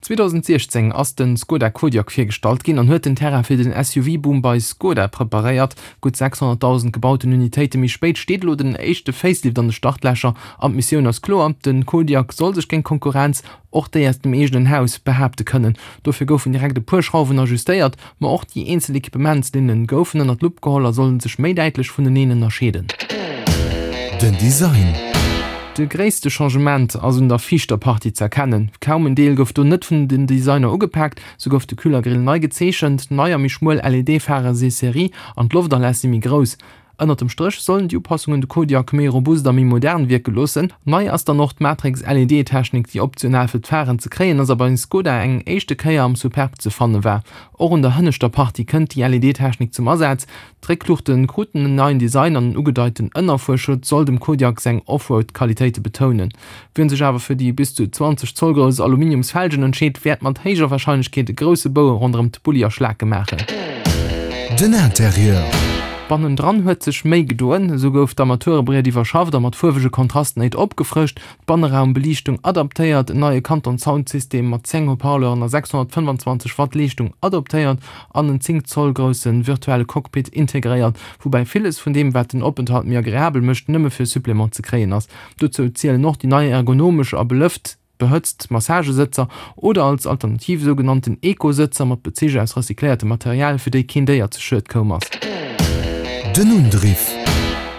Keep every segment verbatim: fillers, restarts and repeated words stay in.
zweedausendsiechzéng ass de Skoda Kodiaq virgestallt ginn an huet den Terrain fir den S U V-Boom bei Skoda preparéiert. Gutt sechshonnertdausend gebauten Unitéite méi spéit steet elo den éischte Facelift an de Startlächer an d'Missioun ass kloer, Den Kodiaq soll sech géint d'Konkurrenz, och déi aus dem eegenen Haus, behaapte kënnen. Dofir goufen direkt e puer Schrauwen ajustéiert, ma och déi eenzel Ekipementslinne goufen ënner d'Lupp geholl a sollen sech méi däitlech vuneneen ënnerscheeden. Den Design. De gréisste Changement ass un der viischter Partie z'erkennen. Kaum en Deel gouf do net vun den Designer ugepaakt. Sou gouf de Kühlergrill nei gezeechent, nei a méi schmuel L E D-Phare si Serie an d'Loftaläss si méi grouss. Ënnert dem Stréch sollen déi Upassungen de Kodiaq méi robust a méi modern wierke loossen. Nei ass dann och d'Matrix-L E D-Technik, déi optional fir d'Pharen ze kréien ass a bei Skoda eng éischte Kéier am Superb ze fanne war. Och un der hënneschter Partie kënnt déi L E D-Technik zum Asaz. D'Réckluuchte kruten en neien Design an en ugedeiten Ënnerfuerschutz soll dem Kodiaq seng Offroad-Qualitéite betounen. Wien sech awer fir déi bis zu zwanzeg Zoll grouss Aluminiumsfelgen entscheet, wäert mat héijer Warscheinlechkeet e grousse Bou ronderëm d'Bulli a Schlake maachen. Den Interieur. Bannendran huet sech méi gedoen, esou gouf d'Armaturebriet iwwerschafft a mat fuerwege Kontrastnéit opgefrëscht, d'Banneraumbeliichtung adaptéiert, en neie Canton Sound System mat zéng Haut-parleuren a sechshonnertfënnefanzwanzeg Watt Leeschtung adoptéiert an en zéng Zoll grousse virtuelle Cockpit integréiert, woubäi villes vun deem wat den Openthalt méi agreabel mécht nëmme fir Supplément ze kréien ass. Dozou zielen och déi nei ergonomesch a belëft behëtzt Massagesëtzer oder als Alternativ sougenannten Eco-Sëtzer mat Bezich aus recycléiertem Material, fir déi keen Déier zu Schued koum ass. Den Undriff.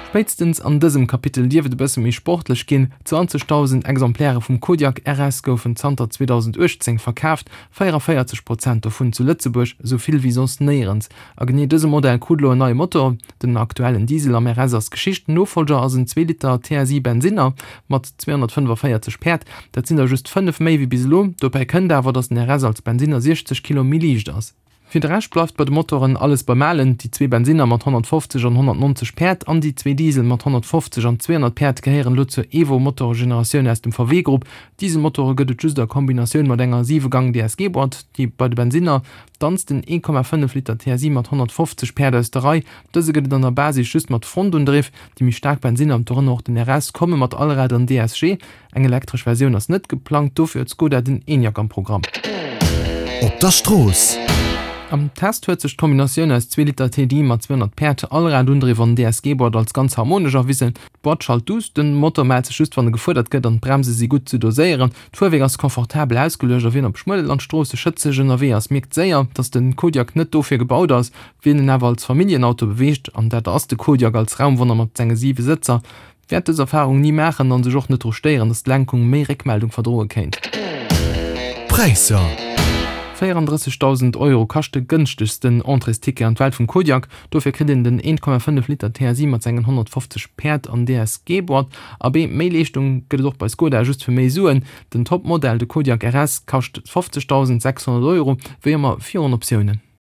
Spéitstens an dësem Kapitel dierf et e bësse méi sportlech ginn, zwanzegdausend Exemplaire vum Kodiaq R S goufen zanter zweedausendachtzéng verkaaft, véieranvéierzeg Prozent dovun zu Lëtzebuerg, esou vill wéi soss néierens. A genee dëse Modell krut elo en neie Motor, den aktuellen Diesel am R S ass Geschicht, Nofollger ass en zwee Liter T S I Bensinner mat zweehonnertfënnefanvéierzeg Päerd, dat sinn der just fënnef méi wéi bis elo. Dobäi kënnt awer, datt den R S als Bensinner siechzeg Kilo méi liicht ass. Fir de Rescht bleift bei de Motoren alles beim Alen, déi zwee Bensinner mat honnertfofzeg an honnertnonzeg Päerd an déi zwee Diesel mat honnertfofzeg an zweehonnert Päerd gehéieren elo zur Evo-Motoregeneratioun aus dem V W-Grupp. Dieselmotore gëtt et just a Kombinatioun mat enger siwe-Gang-D S G-Boîte, déi bei de Bensinner danzt den ee Komma fënnef Liter T S I mat honnertfofzeg Päerd aus der Rei. Dëse gëtt et an der Basis just mat Frontundriff. Déi méi staark Bensinner, dorënner och den R S, komme mat Allrad an D S G. Eng elektresch Versioun ass net geplangt, dofir huet Skoda den Enyaq am Programm. Op der Strooss. Am Test huet sech d'Kombinatioun aus zwee Liter T D I mat zweehonnert Päerd, Allradundriff an D S G-Boîte als ganz harmonesch erwisen. D'Boîte schalt duuss, den Motor mellt sech just wann e gefuerdert gëtt an d'Bremse si gutt ze doséieren. D'Fuerwierk ass confortabel ausgeluecht a wien op schmuele Landstroosse schëtzeg ënnerwee ass, mierkt séier, dass de Kodiaq net dofir gebaut ass. Wien en awer als Familljenauto beweegt, an dat ass de Kodiaq als Raumwonner mat senge siwe Sëtzer, wäert dës Erfarung ni maachen an sech och net dru stéieren, dass d'Lenkung méi Réckmeldung verdroe kéint. Präisser. véierandrëssegdausend Euro kascht de gënschtegsten Entréesticket an d'Welt vum Kodiaq. Dofir kritt een den eent Komma fënnef Liter T S I mat sengen honnertfofzeg Päerd an D S G-Boîte. Abee, méi Leeschtung gëtt et och bei Skoda just fir méi Suen. Den Topmodell, de Kodiaq R S, kascht fofzegdausendsechshonnert Euro, wéi ëmmer virun Optiounen.